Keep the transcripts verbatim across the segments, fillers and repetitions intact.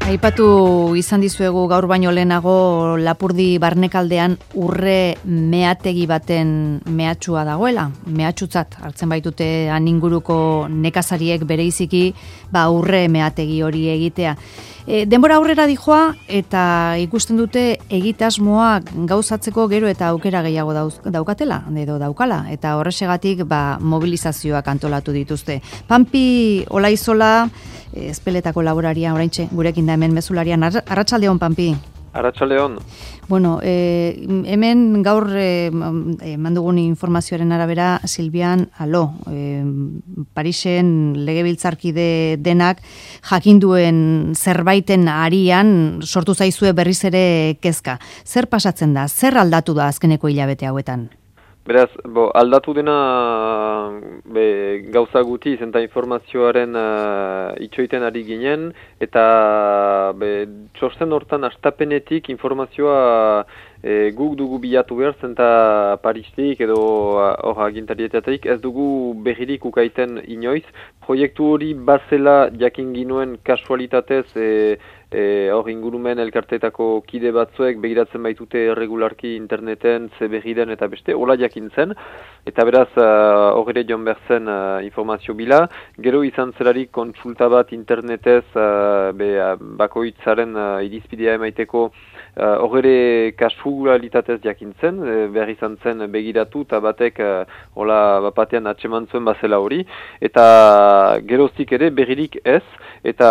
Aipatu izan dizuegu gaur baino lehenago Lapurdi barnekaldean urre meategi baten mehatxua dagoela. Mehatxutzat hartzen baitute han inguruko nekazariek bereiziki ba urre meategi hori egitea. E, denbora aurrera dijoa eta ikusten dute egitasmoa gauzatzeko gero eta aukera gehiago dauz, daukatela, edo daukala, eta horrexegatik ba, mobilizazioak antolatu dituzte. Pampi Olaizola, Ezpeletako laboraria, oraintxe gurekin da hemen mezularian. Arratsaldeon, Pampi. Arratsaldeon. Bueno, eh, hemen gaur eh, mandugun informazioaren arabera Silvian Alo, eh, Parisen legebiltzarkide denak jakinduen zerbaiten arian sortu zaizue berriz ere kezka. Zer pasatzen da? Zer aldatu da azkeneko hilabete hauetan? Beraz, bo, aldatu dena be, gauza guti izenta informazioaren uh, itxoiten ari ginen, eta be, txosten hortan astapenetik informazioa e, guk dugu bilatu behar, zenta Paristik edo hor agintarietatik ez dugu berririk ukaiten inoiz. Proiektu hori bazela jakin ginuen kasualitatez e, hor e, ingurumen elkarteetako kide batzuek begiratzen baitute regularki interneten, ze berriden eta beste, hola jakin zen, eta beraz hor ere joan behar zen uh, informazio bila. Gero izan zelarik kontsulta bat internetez uh, be, uh, bakoitzaren uh, irizpidea emaiteko hor uh, ere kasualitatez jakin zen, e, behar izan zen begiratu eta batek uh, hola bapatean atseman zuen bazela hori, eta geroztik ere berririk ez, eta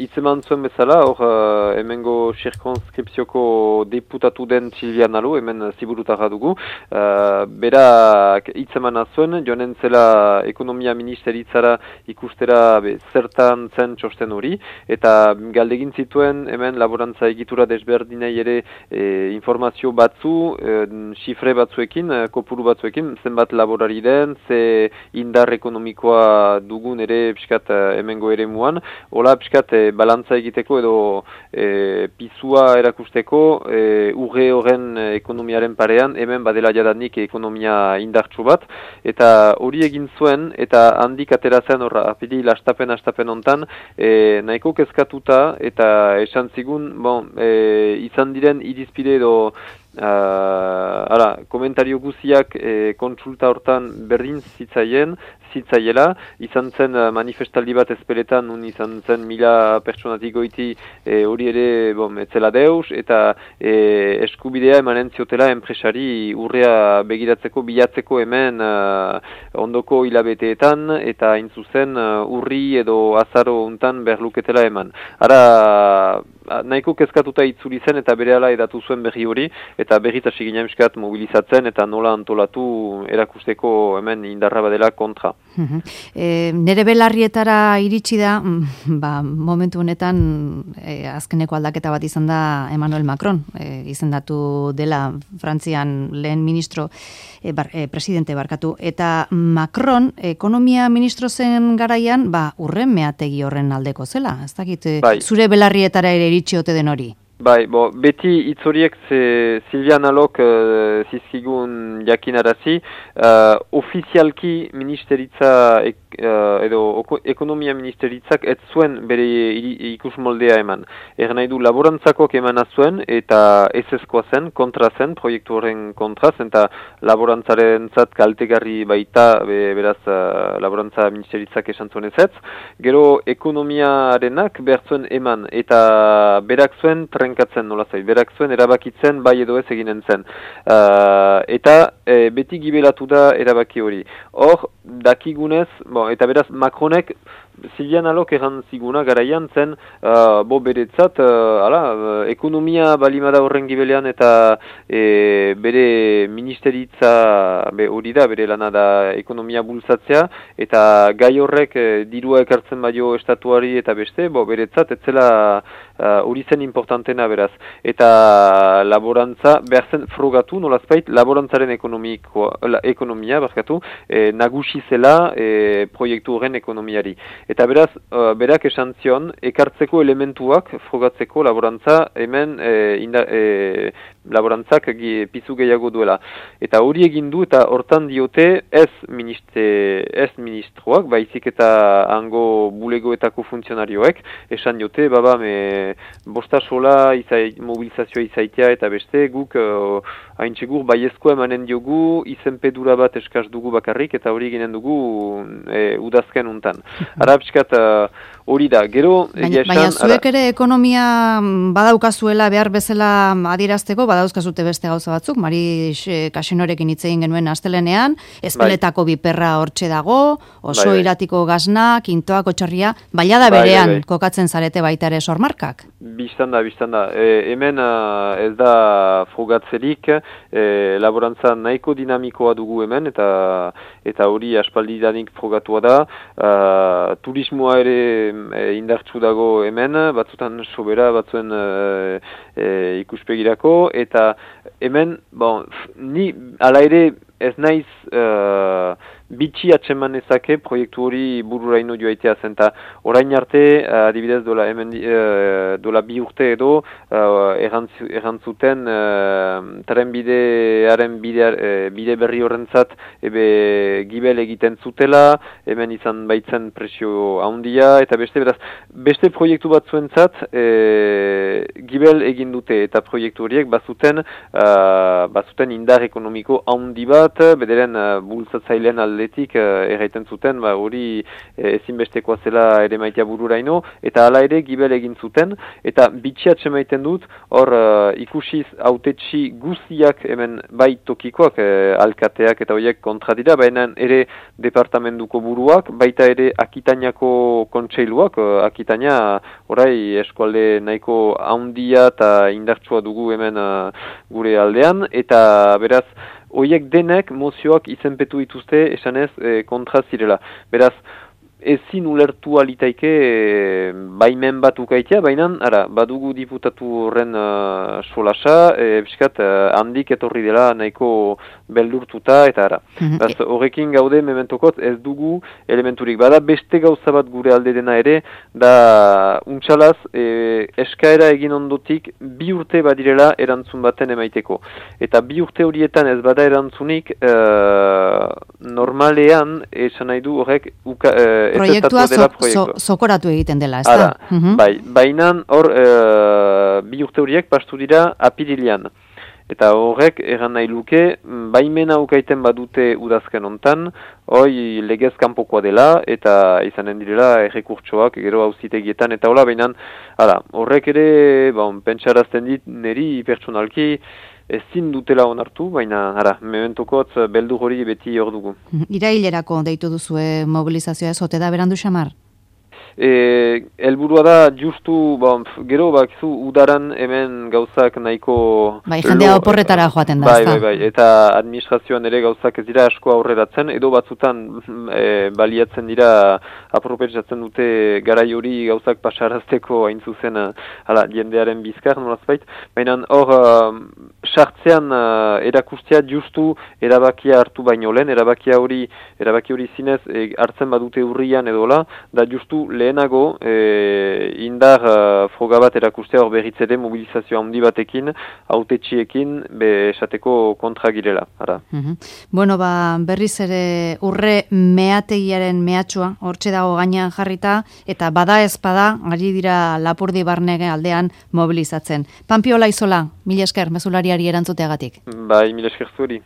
hitzeman zuen bezala, hor uh, hemengo zirkonskripzioko deputatu den Silvian Alo, hemen ziburutarra dugu, uh, berak hitzeman zuen, joanen zela ekonomia ministeritzara ikustera be, zertan zen txosten hori, eta galdegin zituen hemen laborantza egitura desberdinei ere e, informazio batzu, e, xifre batzuekin, e, kopuru batzuekin, zenbat laborari den, ze indar ekonomikoa dugun ere piskat hemengo ere muan, hola piskat e, balantza egiteko edo e, pizua erakusteko e, urre horren ekonomiaren parean, hemen badela jadanik ekonomia indartsu bat, eta hori egin zuen, eta handik atera zen horra, apiri lastapen astapen hontan, e, nahiko kezkatuta, eta esan zigun, bon, e, izan diren irizpide edo Uh, ara, komentario guziak e, kontsulta hortan berdin zitzaien, zitzaiela, izan zen uh, manifestaldi bat Ezpeletan, nun izan zen mila pertsonatik goiti hori e, ere bom, etzela deus, eta e, eskubidea emanen ziotela enpresari urrea begiratzeko, bilatzeko hemen uh, ondoko hilabeteetan, eta intzuzen uh, urri edo azaro untan berluketela eman. Ara, nahiko kezkatuta itzuli zen eta berehala edatu zuen berri hori, eta berriz hasi ginen miskat mobilizatzen eta nola antolatu erakusteko hemen indarra badela kontra. E, nere belarrietara iritsi da, ba, momentu honetan e, azkeneko aldaketa bat izan da Emmanuel Macron, e, izendatu dela Frantzian lehen ministro, e, bar, e, presidente barkatu, eta Macron ekonomia ministro zen garaian, ba, urren meategi horren aldeko zela, ez dakit, bai. Zure belarrietara ere iritsi ote den hori? Bai, bo, beti itzoriek ze Silvian Alok uh, zizkigun jakinarazi, uh, ofizialki ministeritza ek, uh, edo ekonomia ministeritzak ez zuen bere ikus moldea eman. Er nahi du laborantzakok emana zuen eta ez ezkoa zen, kontra zen, proiektu horren kontra zen, eta laborantzaren zat kaltegarri baita, be, beraz uh, laborantza ministeritzak esan zuen ez ez. Gero ekonomiarenak behar zuen eman, eta berak zuen trenkatzen nola zait, berak zuen erabakitzen bai edo ez eginen zen. Uh, eta e, beti gibelatu da erabaki hori. Hor, dakigunez, bon, eta beraz Macronek Silvian Alok erran ziguna garaian zen, uh, bo beretzat, uh, ala, uh, ekonomia balimada horren gibelean eta e, bere ministeritza be, hori da, bere lana da ekonomia bultzatzea, eta gai horrek e, dirua ekartzen baino estatuari eta beste, bo beretzat, etzela hori uh, zen importantena beraz. Eta laborantza, behar zen frogatu, nolazpait, laborantzaren la, ekonomia, barkatu, e, nagusi zela e, proiektu horren ekonomiari. Eta beraz, uh, berak esan zion, ekartzeko elementuak frogatzeko laborantza hemen e, inda, e, laborantzak pizu gehiago duela. Eta hori egin du eta hortan diote ez, ministre, ez ministroak, baizik eta hango bulegoetako funtzionarioek, esan diote, baba, me bosta sola izai, mobilizazioa izaitea eta beste guk uh, hain txegur baiezko emanen diogu, izenpedura bat eskaz dugu bakarrik eta hori ginen dugu e, udazken untan. Arabskat hori da, gero... Baina, esan, baina zuek ere ekonomia badaukazuela behar bezala adierazteko, badauzkazute beste gauza batzuk, Mari Kasinorekin hitz egin genuen astelenean, ezpeletako bai. Biperra hortxe dago, oso bai, iratiko gazna, kintoak, otxarria, baila da berean bai, bai, bai. Kokatzen zarete baita ere sormarkak. Bistan da, bistan da. E, hemen uh, ez da frogatzerik, e, laborantza nahiko dinamikoa dugu hemen, eta eta hori aspaldidanik frogatua da. Uh, turismoa ere e, indartsu dago hemen, batzutan sobera, batzuen e, e, ikuspegirako, eta hemen, bon, ni ala ere ez naiz uh, bitxi atseman ezake proiektu hori bururaino joaitea zen, eta orain arte, uh, adibidez dola, hemen, uh, dola bi urte edo, uh, errantzuten uh, trenbidearen bide, uh, bide berri horrentzat ebe gibel egiten zutela, hemen izan baitzen presio handia, eta beste beraz, beste proiektu batzuentzat uh, gibel egin dute, eta proiektu horiek bazuten, uh, bazuten indar ekonomiko handi bat, bederen uh, bultzatzailean aldetik uh, erraiten zuten, ba, hori uh, ezinbestekoa zela ere maitea bururaino, eta hala ere gibel egin zuten, eta bitxiatxe maiten dut, hor uh, ikusiz autetxi guztiak hemen bai tokikoak, uh, alkateak eta horiek kontra dira, baina ere departamentuko buruak, baita ere Akitainako kontseiluak, uh, Akitaina orai eskualde nahiko handia eta indartsua dugu hemen uh, gure aldean, eta beraz, horiek denek mozioak izenpetu dituzte esanez e, kontra zirela. Beraz, ezin ulertu alitaike e, baimen bat ukaitea, baina ara, badugu diputatu horren uh, solasa, e, biskat, uh, handik etorri dela nahiko beldurtuta, eta ara. Beraz, horrekin gaude mementokot ez dugu elementurik. Bada beste gauza bat gure alde dena ere, da untxalaz e, eskaera egin ondotik bi urte badirela erantzun baten emaiteko. Eta bi urte horietan ez bada erantzunik, uh, normalean, esan nahi du horrek uka, uh, proiektua zokoratu so, egiten dela, ez da? Uh-huh. Bai, bainan hor e, bi urte horiek pastu dira apirilean. Eta horrek erran nahi luke, baimena ukaiten badute udazken ontan, hoi legez kanpokoa dela, eta izanen direla errekurtsoak, gero auzitegietan, eta hola, bainan, horrek ere, bon, pentsarazten dit, neri pertsonalki, ezin dutela onartu, baina, ara, mementokotz beldu hori beti hor dugu. Irailerako deitu duzue mobilizazioa ez, ote da berandu xamar? E, elburua da, justu, bon, gero bakizu udaran hemen gauzak nahiko... Bai, jendea oporretara joaten da, bai, bai, bai, eta administrazioan ere gauzak ez dira asko aurreratzen, edo batzutan e, baliatzen dira apropetzatzen dute garai hori gauzak pasarazteko hain zuzen, hala, jendearen bizkar, nolazbait, baina hor, sartzean uh, erakustea justu erabakia hartu baino lehen, erabakia hori, erabaki hori zinez e, hartzen badute urrian edola, da justu lehenago e, indar uh, froga bat erakustea hor berritzede mobilizazio handi batekin, autetxiekin, be esateko kontra girela. Ara. Mm-hmm. Bueno, ba, berriz ere urre meategiaren mehatxua, hortxe dago gainean jarrita, eta bada ez bada, ari dira Lapurdi Barnege aldean mobilizatzen. Panpiola Izola, mila esker, mezulariari erantzuteagatik. Bai, mila esker zuri.